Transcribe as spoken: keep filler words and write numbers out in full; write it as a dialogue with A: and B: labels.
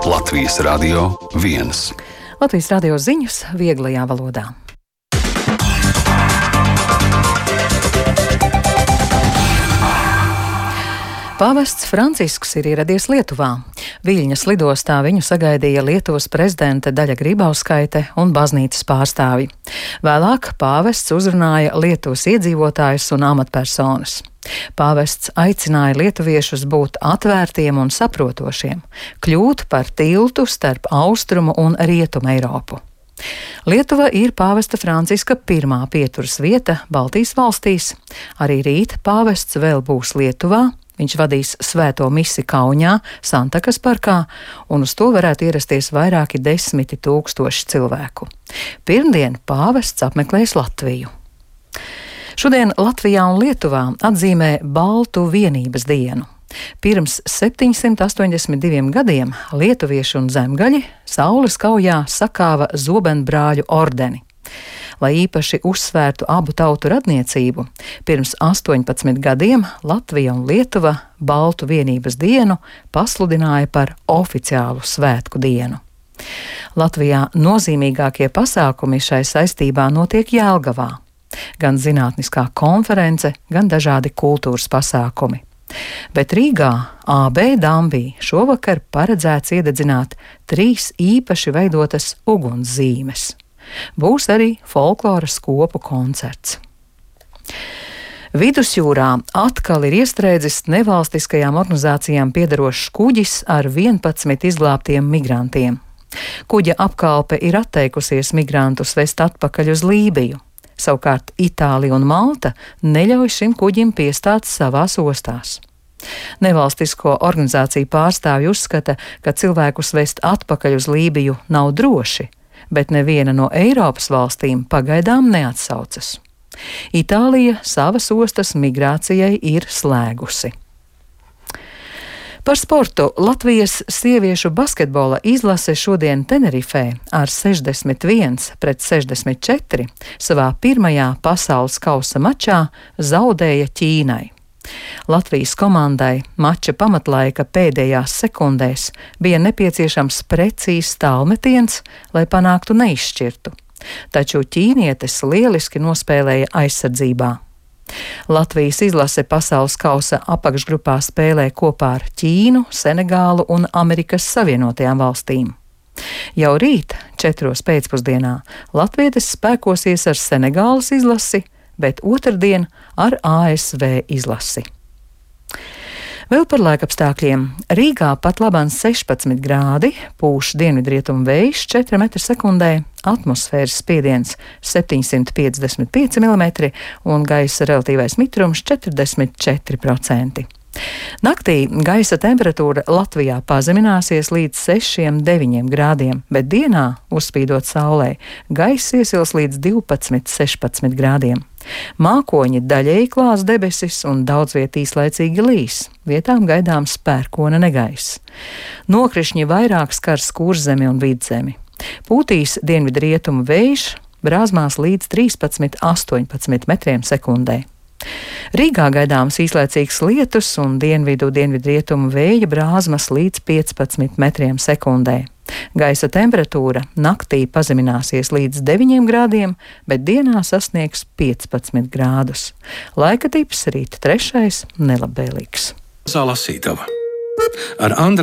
A: Latvijas Radio viens.
B: Latvijas radio ziņas vieglajā valodā. Pāvests Francisks ir ieradies Lietuvā. Viļņas lidostā viņu sagaidīja Lietuvas prezidente Daļa Grybauskaite un baznīcas pārstāvji. Vēlāk pāvests uzrunāja Lietuvas iedzīvotājus un amatpersonas. Pāvests aicināja lietuviešus būt atvērtiem un saprotošiem, kļūt par tiltu starp austrumu un rietumu Eiropu. Lietuva ir pāvesta Franciska pirmā pieturas vieta Baltijas valstīs. Arī rīt pāvests vēl būs Lietuvā. Viņš vadīs svēto misi Kaunijā, Santakas parkā, un uz to varētu ierasties vairāki desmiti tūkstoši cilvēku. Pirmdien pāvests apmeklēs Latviju. Šodien Latvijā un Lietuvā atzīmē Baltu vienības dienu. Pirms septiņsimt astoņdesmit diviem gadiem lietuvieši un zemgaļi Saules kaujā sakāva Zobenbrāļu ordeni. Lai īpaši uzsvērtu abu tautu radniecību, pirms astoņpadsmit gadiem Latvija un Lietuva Baltu vienības dienu pasludināja par oficiālu svētku dienu. Latvijā nozīmīgākie pasākumi šai saistībā notiek Jelgavā. Gan zinātniskā konference, gan dažādi kultūras pasākumi. Bet Rīgā A B Dambī šovakar paredzēts iededzināt trīs īpaši veidotas ugunszīmes. Būs arī folkloras kopu koncerts. Vidusjūrā atkal ir iestrēdzis nevalstiskajām organizācijām piederošs kuģis ar vienpadsmit izglābtiem migrantiem. Kuģa apkalpe ir atteikusies migrantus vest atpakaļ uz Lībiju. Savukārt Itālija un Malta neļauj šim kuģim piestāt savās ostās. Nevalstisko organizāciju pārstāvji uzskata, ka cilvēkus vest atpakaļ uz Lībiju nav droši, bet neviena no Eiropas valstīm pagaidām neatsaucas. Itālija savas ostas migrācijai ir slēgusi. Par sportu Latvijas sieviešu basketbola izlase šodien Tenerifē ar sešdesmit viens pret sešdesmit četri savā pirmajā pasaules kausa mačā zaudēja Ķīnai. Latvijas komandai mača pamatlaika pēdējās sekundēs bija nepieciešams precīzs tālmetiens, lai panāktu neizšķirtu, taču ķīnietes lieliski nospēlēja aizsardzībā. Latvijas izlase pasaules kausa apakšgrupā spēlē kopā ar Ķīnu, Senegālu un Amerikas Savienotajām valstīm. Jau rīt, četros pēcpusdienā, latvietes spēkosies ar Senegālas izlasi, bet otrdien ar A S V izlasi. Vēl par laikapstākļiem. Rīgā pat labāk sešpadsmit grādi, pūš dienvidrietumu vējš četri metri sekundē, atmosfēras spiediens septiņsimt piecdesmit pieci milimetri un gaisa relatīvais mitrums četrdesmit četri procenti. Naktī gaisa temperatūra Latvijā pazemināsies līdz sešiem deviņiem grādiem, bet dienā, uzspīdot saulē, gaiss iesils līdz divpadsmit sešpadsmit grādiem. Mākoņi daļēji klās debesis un daudz viet īslaicīgi līs, vietām gaidāms pērkona negaiss. Nokrišņi vairāk skars Kurzemi un Vidzemi. Pūtīs dienvidrietumu vējš, brāzmās līdz trīspadsmit astoņpadsmit metriem sekundē. Rīgā gaidāms īslaicīgs lietus un dienvidu dienvidrietumu vēja brāzmas līdz piecpadsmit metriem sekundē. Gaisa temperatūra naktī pazemināsies līdz deviņiem grādiem, bet dienā sasniegs piecpadsmit grādus. Laika tips rīt trešais nelabvēlīgs.
A: Lasītava ar Andra